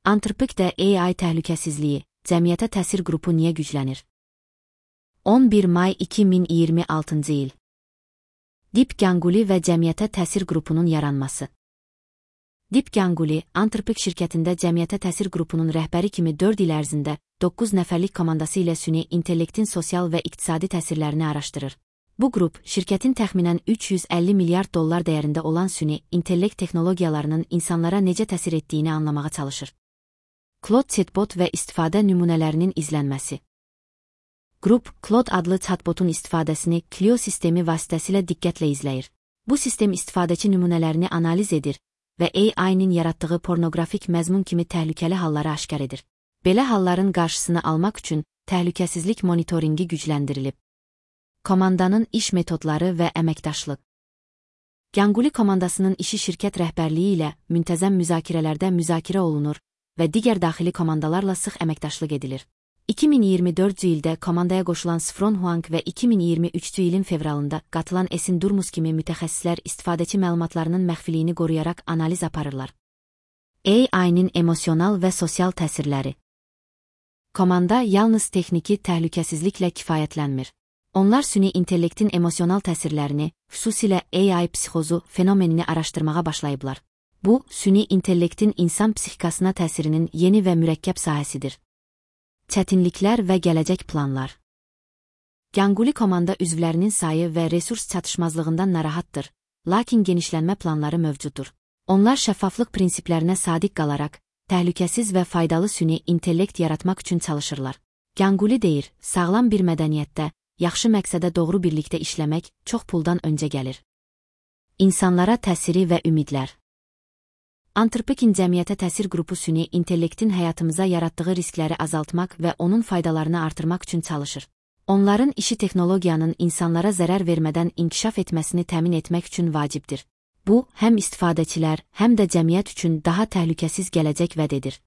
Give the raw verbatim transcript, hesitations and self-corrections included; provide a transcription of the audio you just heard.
Antropikdə A I təhlükəsizliyi, cəmiyyətə təsir qrupu niyə güclənir? on bir may iki min iyirmi altıncı il. Deep Ganguly və cəmiyyətə təsir qrupunun yaranması. Deep Ganguly, Antropik şirkətində cəmiyyətə təsir qrupunun rəhbəri kimi dörd il ərzində doqquz nəfərlik komandası ilə süni intellektin sosial və iqtisadi təsirlərini araşdırır. Bu qrup, şirkətin təxminən üç yüz əlli milyard dollar dəyərində olan süni intellekt texnologiyalarının insanlara necə təsir etdiyini anlamağa çalışır. Claude chatbot və istifadə nümunələrinin izlənməsi. Qrup, Claude adlı chatbotun istifadəsini Clio sistemi vasitəsilə diqqətlə izləyir. Bu sistem istifadəçi nümunələrini analiz edir və A I-nin yaratdığı pornoqrafik məzmun kimi təhlükəli halları aşkar edir. Belə halların qarşısını almaq üçün təhlükəsizlik monitoringi gücləndirilib. Komandanın iş metodları və əməkdaşlıq. Ganguly komandasının işi şirkət rəhbərliyi ilə müntəzəm müzakirələrdə müzakirə olunur və digər daxili komandalarla sıx əməkdaşlıq edilir. iki min iyirmi dördüncü ildə komandaya qoşulan Sfron Huang və iki min iyirmi üçüncü ilin fevralında qatılan Esin Durmus kimi mütəxəssislər istifadəçi məlumatlarının məxfiliyini qoruyaraq analiz aparırlar. A I-nin emosional və sosial təsirləri. Komanda yalnız texniki təhlükəsizliklə kifayətlənmir. Onlar süni intellektin emosional təsirlərini, xüsusilə A I psixozu fenomenini araşdırmağa başlayıblar. Bu, süni intellektin insan psixikasına təsirinin yeni və mürəkkəb sahəsidir. Çətinliklər və gələcək planlar. Ganguly komanda üzvlərinin sayı və resurs çatışmazlığından narahatdır, lakin genişlənmə planları mövcuddur. Onlar şəffaflıq prinsiplərinə sadiq qalaraq, təhlükəsiz və faydalı süni intellekt yaratmaq üçün çalışırlar. Ganguly deyir, sağlam bir mədəniyyətdə, yaxşı məqsədə doğru birlikdə işləmək çox puldan öncə gəlir. İnsanlara təsiri və ümidlər. Antropikin cəmiyyətə təsir qrupu süni intellektin həyatımıza yaratdığı riskləri azaltmaq və onun faydalarını artırmaq üçün çalışır. Onların işi texnologiyanın insanlara zərər vermədən inkişaf etməsini təmin etmək üçün vacibdir. Bu, həm istifadəçilər, həm də cəmiyyət üçün daha təhlükəsiz gələcək vəd edir.